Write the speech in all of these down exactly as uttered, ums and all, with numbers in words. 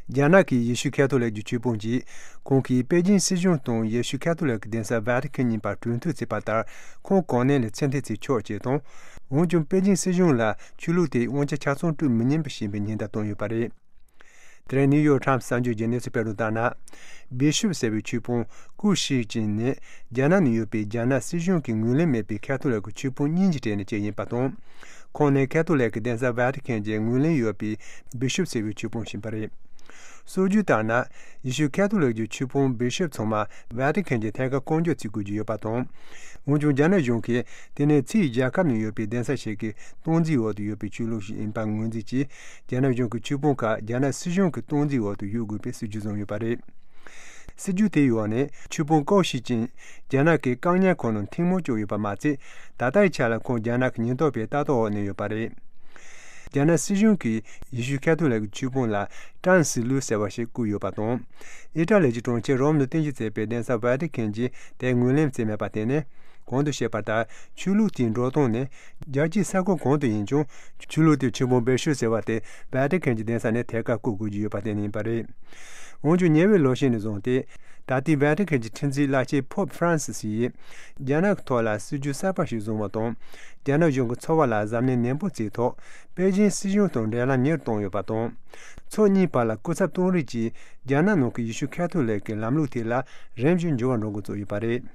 རྒྱ་ནག་གི་ཡེ་ཤུ་ཁ་ཐོ་ལིག་གི་ཆོས་དཔོན་གྱིས་ཁོང་གིས་པེ་ཅིན་སྲིད་གཞུང་དང་ཡེ་ཤུ་ཁ་ཐོ་ལིག་གི་གདན་ས་ཝེ་ཏི་ཁན་གཉིས་བར་གྲོས་མཐུན་བྱས་པ་ལྟར་ཁོང་གོ་གནས་ལས་ཕྱིར་འཐེན་བྱེད་ཆོག་ཅེས་དང་། འོན་ཀྱང་པེ་ཅིན་སྲིད་གཞུང་ལ་ཆོས་ལུགས་དེའི་དབང་ཆ་ཆ་ཚང་སྤྲོད་མི་ཉན་པ་ཞེས་པའི་ཉེན་བརྡ་བཏང་ཡོད་པ་རེད། དེ་རིང་ནིའུ་ཡོག་ཊའིམ་གསར་འགྱུར་གྱིས་གནས་ཚུལ་སྤེལ་དོན་ལྟར་ན། བི་ཤོབ་ཟེར་བའི་ཆོས་དཔོན་ཀུའུ་ཤི་ཅིན་ནི་རྒྱ་ནག་ནང་ཡོད་པའི་རྒྱ་ནག་སྲིད་གཞུང་གི་ངོས་ལེན་མེད་པའི་ཁ་ཐོ་ལིག་གི་ཆོས་དཔོན་གཉིས་ཀྱི་གྲས་ནས་གཅིག་ཡིན་པ་དང་། ཁོང་ནི་ཁ་ཐོ་ལིག་གི་གདན་ས་ཝེ་ཏི་ཁན་གྱི་ངོས་ལེན་ཡོད་པའི་བི་ཤོབ་ཟེར་བའི་ཆོས་དཔོན་ཞིག་ཡིན་པ་རེད། སྲོལ་རྒྱུན་ལྟར་ན། ཡེ་ཤུ་ཁ་ཐོ་ལིག་གི་ཆོས་དཔོན་བི་ཤོབ་ཚང་མ་ཝེ་ཏི་ཁན་གྱི་ཐད་ཀར་བསྐོ་འཇོག་བྱེད་དགོས་ཀྱི་ཡོད་པ་དང་། འོན་ཀྱང་རྒྱ་ནག་གཞུང་གིས་དེ་ནི་ཕྱིའི་རྒྱལ་ཁབ་ནང་ཡོད་པའི་གདན་ས་ཞིག་གི་སྟངས་འཛིན་འོག་ཏུ་ཡོད་པའི་ཆོས་ལུགས་ཤིག་ཡིན་པ་ངོས་འཛིན་གྱིས། རྒྱ་ནག་གཞུང་གི་ཆོས་དཔོན་ཁག་རྒྱ་ནག་སྲིད་གཞུང་གི་སྟངས་འཛིན་འོག་ཏུ་ཡོད་དགོས་པའི་སྲིད་ཇུས་བཟུང་ཡོད་པ་རེད། སྲིད་ཇུས་དེའི་འོག་ནས་ཆོས་དཔོན་ཀའོ་ཤི་ཅིན་རྒྱ་ནག་གི་བཀག་ཉར་ཁང་ནང་ཐེངས་མང་བཅུག་ཡོད་པ་མ་ཚད། ད་ལྟའི་ཆ་ལ་ཁོང་རྒྱ་ནག་གི་ཉེན་རྟོག་པའི་ལྟ་རྟོག་འོག་གནས་ཡོད་པ་རེད། རྒྱ་ནག་སྲིད་གཞུང་གིས་ཡེ་ཤུ་ཁ་ཐོ་ལིག་གི་ཆོས་དཔོན་ལ་ཀྲང་སི་ལུའུ་ཟེར་བ་ཞིག་བསྐོས་ཡོད་པ་དང་། ཨི་ཊ་ལི་གྱི་གྲོང་ཁྱེར་རོམ་དུ་རྟེན་གཞི་བྱས་པའི་གདན་ས་ཝེ་ཏི་ཁན་གྱིས་དེ་ངོས་ལེན་བྱས་མེད་པར་བརྟེན་ནས། གོང་དུ་བཤད་པ་ལྟར་ཆོས་ལུགས་དེའི་འགྲོ་སྟངས་ནི་རྒྱལ་སྤྱིའི་ས་ཁུལ་གང་དུ་ཡིན་ཀྱང་ཆོས་ལུགས་དེའི་ཆོས་དཔོན་བེ་ཤུ་ཟེར་བ་དེ་ཝེ་ཏི་ཁན་གྱི་གདན་ས་ནས་ཐད་ཀར་བསྐོ་དགོས་ཀྱི་ཡོད་པར་བརྟེན་ནས་ཡིན་པ་རེད། འོན་ཀྱང་ཉེ་བའི་ལོ་ཤས་ནས་བཟུང་སྟེ། ད་ལྟའི་ཝེ་ཏི་ཁན་གྱི་ཁྲི་འཛིན་བླ་ཆེན་ཕོབ་ཧྥ་རན་སི་སི་ཡིས་རྒྱ་ནག་གི་ཐོག་ལ་སྲིད་ཇུས་གསར་པ་ཞིག་བཟུང་བ་དང་། རྒྱ་ནག་གཞུང་གི་འཚོ་བ་ལ་གཟབ་ནན་ནན་པོ་བྱས་ཐོག་པེ་ཅིན་སྲིད་གཞུང་དང་འབྲེལ་ལམ་ཉེ་རུ་བཏང་ཡོད་པ་དང་། ཕྱོགས་གཉིས་བར་ལ་སྐུ་ཚབ་གཏོང་རེས་ཀྱིས་རྒྱ་ནག་ནང་གི་ཡེ་ཤུ་ཁ་ཐོ་ལིག་གི་ལམ་ལུགས་དེ་ལ་རིམ་བཞིན་འགྱུར་བ་འགྲོ་འགོ་བཙུགས་ཡོད་པ་རེད།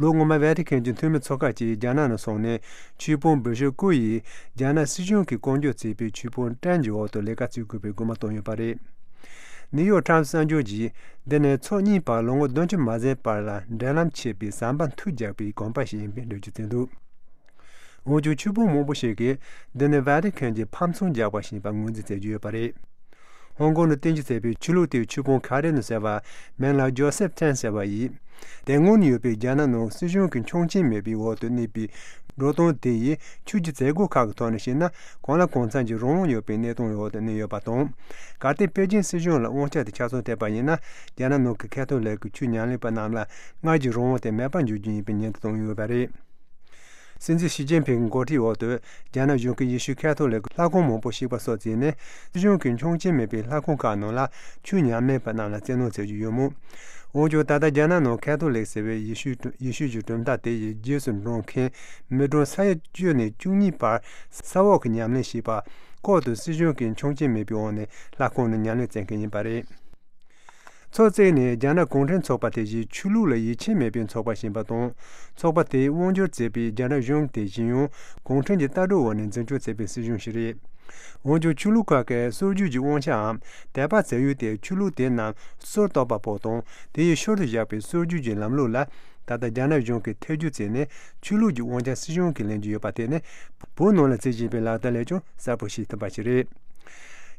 ལོ་སྔོན་མ་ཝེ་ཏི་ཁན་གྱི་འཐུས་མི་ཚོ་ཁག་ཅིག་རྒྱ་ནག་ནང་སོང་ནས་ཆོས་དཔོན་བེ་ཤོ་ཀུ་ཡིས་རྒྱ་ནག་སྲིད་གཞུང་གིས་བསྐོ་འཇོག་བྱས་པའི་ཆོས་དཔོན་ཀྲན་གྱི་འོག་ཏུ་ལས་ཀ་བྱེད་དགོས་པའི་སྐུལ་མ་བཏང་ཡོད་པ་རེད། ནིའུ་ཡོག་ཊའིམ་གསར་འགྱུར་གྱིས་འདི་ནི་ཕྱོགས་གཉིས་བར་ལོ་ངོ་བདུན་ཅུ་མ་ཟིན་བར་ལ་འབྲེལ་ལམ་ཆད་པའི་ཟམ་པ་མཐུད་རྒྱག་པའི་གོམ་པ་ཞིག་ཡིན་པའི་འགྲེལ་བརྗོད་བྱས་འདུག་འོན་ཀྱང་ཆོས་དཔོན་མང་པོ་ཞིག་གིས་འདི་ནི་ཝེ་ཏི་ཁན་གྱིས་ཕམ་ཚོང་རྒྱག་པ་ཞིག་ཡིན་པར་ངོས་འཛིན་བྱེད་ཀྱི་ཡོད་པ་རེད། ཧོང་ཀོང་དུ་རྟེན་གཞི་བྱས་པའི་ཆོས་ལུགས་དེའི་ཆོས་དཔོན་ཁ་རེ་ནོ་ཟེར་བ། མིང་ལ་ཇོ་སེབ་ཐན་ཟེར་བ་ཡིས། དེ་སྔོན་ནས་ཡོད་པའི་རྒྱ་ནག་ནང་སྲིད་གཞུང་གི་ཆོག་མཆན་མེད་པའི་འོག་ཏུ་གནས་པའི་འགྲོ་སྟངས་དེ་ཡིས་ཆོས་ཀྱི་མཛད་སྒོ་ཁག་གི་ཐོག་ནས་བཤད་ན་གང་ལ་གང་འཚམ་གྱི་རང་དབང་ཡོད་པའི་གནས་སྟངས་འོག་ཏུ་གནས་ཡོད་པ་དང་། གལ་ཏེ་པེ་ཅིན་སྲིད་གཞུང་ལ་དབང་ཆ་དེ་ཆ་ཚང་སྤྲད་པ་ཡིན་ན། རྒྱ་ནག་ནང་གི་ཁ་ཐོ་ལིག་གི་ཆོས་ཉམས་ལེན་པ་རྣམས་ལ་སྔར་གྱི་རང་དབང་དེ་མེད་པར་འགྱུར་རྒྱུ་ཡིན་པའི་ཉེན་བརྡ་བཏང་ཡོད་པ་རེད། སྲིད་འཛིན་ཞི་ཅིན་ཕིང་གི་འགོ་ཁྲིད་འོག་ཏུ་རྒྱ་ནག་གཞུང་གིས་ཡེ་ཤུ་ཁ་ཐོ་ལིག་གི་ལྷ་ཁང་མང་པོ་བཤིག་པ་སོགས་བྱས་ནས་སྲིད་གཞུང་གི་ཆོག་མཆན་མེད་པའི་ལྷ་ཁང་ཁག་ནང་ལ་ཆོས་ཉམས་ལེན་པ་རྣམས་ལ་བཙན་གནོན་བྱེད་ཀྱི་ཡོད་མོད། འོན་ཀྱང་ད་ལྟ་རྒྱ་ནག་ནང་ཁ་ཐོ་ལིག་ཟེར་བའི་ཡེ་ཤུ་ཡེ་ཤུ་གྱི་གྲུབ་མཐའ་དེ་ཡི་རྗེས་སུ་འབྲང་མཁན་མི་གྲངས་ས་ཡ་བཅུ་ནས་བཅུ་གཉིས་བར་ས་འོག་གི་ཉམས་ལེན་བྱེད་པ། ལྐོག་ཏུ་སྲིད་གཞུང་གི་ཆོག་མཆན་མེད་པའི་འོག་ནས་ལྷ་ཁང་ནང་ཉམས་ལེན་བྱེད་མཁན་ཡིན་པ་རེད། ཚོགས་བརྩིགས་ནས་རྒྱ་ནག་གུང་ཁྲན་ཚོགས་པ་དེ་བཞིན་ཆོས་ལུགས་ལ་ཡིད་ཆེས་མེད་པའི་ཚོགས་པ་ཞིག་ཡིན་པ་དང་། ཚོགས་པ་དེས་དབང་སྒྱུར་བྱེད་པའི་རྒྱ་ནག་གཞུང་དེ་བཞིན་ཡང་གུང་ཁྲན་གྱི་ལྟ་གྲུབ་འོག་ནས་འཛིན་སྐྱོང་བྱེད་པའི་སྲིད་གཞུང་ཞིག་རེད། འོན་ཀྱང་ཆོས་ལུགས་ཁག་གིས་སྲོལ་རྒྱུན་གྱི་དབང་ཆའམ་དད་པ་བྱ་ཡུལ་དེ་ཆོས་ལུགས་དེ་རྣམས་སྲོལ་གཏོད་པ་པོ་དང་དེ་ཡི་ཤུལ་དུ་བཞག་པའི་སྲོལ་རྒྱུན་གྱི་ལམ་ལུགས་ལ། ད་ལྟ་རྒྱ་ནག་གཞུང་གིས་ཐེ་བྱུས་བྱས་ནས་ཆོས་ལུགས་ཀྱི་དབང་ཆ་སྲིད་གཞུང་གིས་ལེན་གྱི་ཡོད་པ་དེ་ནི་བོད་ནང་ལ་བྱེད་བཞིན་པའི་ལག་བསྟར་ལས་ཀྱང་གསལ་པོ་ཤེས་ཐུབ་པ་ཞིག་རེད།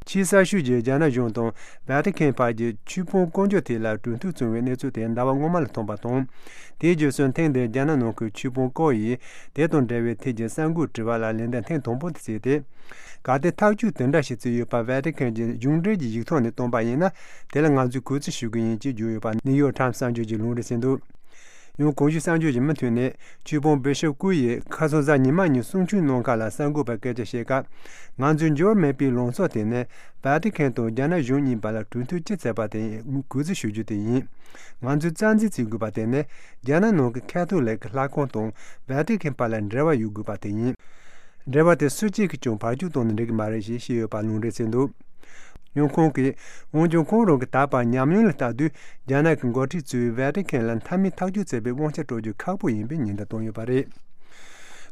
ཆེས་གསར་ཤོས་ཀྱི་རྒྱ་ནག་གཞུང་དང་ཝེ་ཏི་ཁན་བར་གྱི་ཆོས་དཔོན་བསྐོ་འཇོག་ཐད་ལ་གྲོས་མཐུན་བྱུང་བའི་གནས་ཚུལ་དེ་ཟླ་བ་སྔོན་མ་ལ་ཐོན་པ་དང་། དེའི་རྗེས་སུ་ཐེངས་འདིར་རྒྱ་ནག་ནང་ཁུལ་ཆོས་དཔོན་ཀའོ་ཡིས་དེ་དང་འབྲེལ་བའི་ཐད་ཀྱི་གསར་འགོད་དྲི་བ་ལ་ལན་འདེབས་ཐེངས་དང་པོ་དེ་བྱས་ཏེ། གལ་ཏེ་ཐག་གཅོད་དེ་འདྲ་ཞིག་བྱས་ཡོད་པ་ཝེ་ཏི་ཁན་གྱི་གཞུང་འབྲེལ་གྱི་ཡིག་ཐོག་ནས་བཏོན་པ་ཡིན་ན། དེ་ལ་ང་ཚོས་གུས་བརྩི་ཞུ་གི་ཡིན་ཅེས་བརྗོད་ཡོད་པ་ནིའུ་ཡོག་ཊའིམ་གསར་འགྱུར་གྱིས་ལུང་འདྲེན་བྱས་འདུག་ཡང་གོང་ཞུས་གསར་འགྱུར་གྱི་མུ་མཐུད་ནས་ཆོས་དཔོན་བི་ཤོབ་ཀུའུ་ཡིས་ཁ་སང་གཟའ་ཉི་མ་ཉིན་གསུང་ཆོས་གནང་ཁག་ལ་གསར་འགོད་པར་སྐད་ཆ་བཤད་སྐབས། ང་ཚོའི་འགྱུར་བ་མེད་པའི་ལངས་ཕྱོགས་དེ་ནི་ཝེ་ཏི་ཁན་དང་རྒྱ་ནག་གཞུང་གཉིས་བར་ལ་གྲོས་མཐུན་ཅི་བྱས་པ་དེ་གུས་བརྩི་ཞུ་རྒྱུ་དེ་ཡིན། ང་ཚོས་རྩ་འཛིན་བྱེད་དགོས་པ་དེ་ནི་རྒྱ་ནག་ནང་གི་ཁ་ཐོ་ལིག་གི་ལྷ་ཁང་དང་ཝེ་ཏི་ཁན་བར་ལ་འབྲེལ་བ་ཡོད་དགོས་པ་དེ་ཡིན། འབྲེལ་བ་དེ་སུ་གཅིག་གིས་ཀྱང་བར་གཅོད་གཏོང་ན་འགྲིག་གི་མ་རེད་ཞེས་བཤད་ཡོད་པ་ལུང་འདྲེན་བྱས་འདུག་ཡང་ཁོང་གིས། འོན་ཀྱང་ཁོང་རང་གིས་ད་བར་ཉམས་མྱོང་ལ་ལྟ་དུས་རྒྱ་ནག་གི་འགོ་ཁྲིད་ཚོས་ཝེ་ཏི་ཁན་ལ་མཐའ་མའི་ཐག་གཅོད་བྱེད་པའི་དབང་ཆ་སྤྲོད་རྒྱུ་ཁག་པོ་ཡིན་པའི་ཉེན་བརྡ་བཏང་ཡོད་པ་རེད།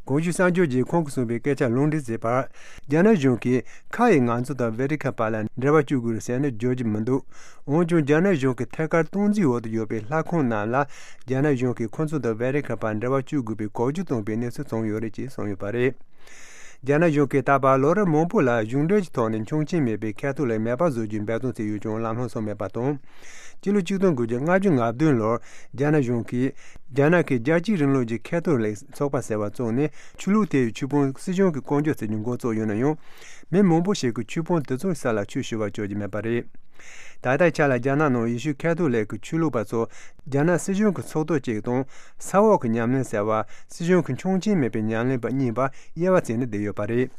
གོང་ཞུས་གསར་འགྱུར་གྱིས་ཁོང་གིས་གསུངས་པའི་སྐད་ཆ་ལུང་འདྲེན་བྱས་པར། རྒྱ་ནག་གཞུང་གིས་ཁ་ཡིས་ང་ཚོ་དང་ཝེ་ཏི་ཁན་བར་ལ་འབྲེལ་བ་གཅོད་དགོས་རེད་ཟེར་ནས་བརྗོད་ཀྱི་མི་འདུག་འོན་ཀྱང་རྒྱ་ནག་གཞུང་གི་ཐད་ཀར་སྟངས་འཛིན་འོག་ཏུ་ཡོད་པའི་ལྷ་ཁང་རྣམས་ལ་རྒྱ་ནག་གཞུང་གིས་ཁོ་ཚོ་དང་ཝེ་ཏི་ཁན་བར་འབྲེལ་བ་གཅོད་དགོས་པའི་འགོག་རྒྱུ་བཏང་པའི་གནས་ཚུལ་བྱུང་ཡོད་རེད་ཅེས་གསུངས་ཡོད་པ་རེད། རྒྱ་ནག་གཞུང་གིས་ད་བར་ལོ་རབས་མང་པོ་ལ་གཞུང་འབྲེལ་གྱི་ཐོག་ནས་ཆོག་མཆན་མེད་པའི་ཁ་ཐོ་ལིག་མེད་པར་བཟོ་རྒྱུའི་འབད་བརྩོན་བྱས་ཡོད་ཀྱང་ལམ་ལྷོང་སོང་མེད་པ་དང་། སྤྱི་ལོ་ཆིག་སྟོང་དགུ་བརྒྱ་ལྔ་བཅུ་ང་བདུན་ལོར་རྒྱ་ནག་གཞུང་གིས་རྒྱ་ནག་གི་རྒྱལ་གཅེས་རིང་ལུགས་ཀྱི་ཁ་ཐོ་ལིག་ཚོགས་པ་ཟེར་བ་བཙུགས་ནས་ཆོས་ལུགས་དེའི་ཆོས་དཔོན་སྲིད་གཞུང་གིས་བསྐོ་འཇོག་བྱེད་རྒྱུ་འགོ་བཙུགས་ཡོད་ན་ཡང་། མི་མང་པོ་ཞིག་གིས་ཆོས་དཔོན་དེ་ཚོའི་ས་ལ་ཆོས་ཞུ་བར་བཅར་གྱི་མེད་པ་རེད། ད་ལྟའི་ཆ་ལ་རྒྱ་ནག་ནང་ཡེ་ཤུ་ཁ་ཐོ་ལིག་གི་ཆོས་ལུགས་པ་ཚོ་རྒྱ་ནག་སྲིད་གཞུང་གི་ཚོགས་གཏོགས་གཅིག་དང་ས་འོག་གི་ཉམས་ལེན་ཟེར་བ་སྲིད་གཞུང་གི་ཆོག་མཆན་མེད་པའི་ཉམས་ལེན་པ་གཉིས་བར་དབྱེ་བ་བྱས་ནས་བསྡད་ཡོད་པ་རེད།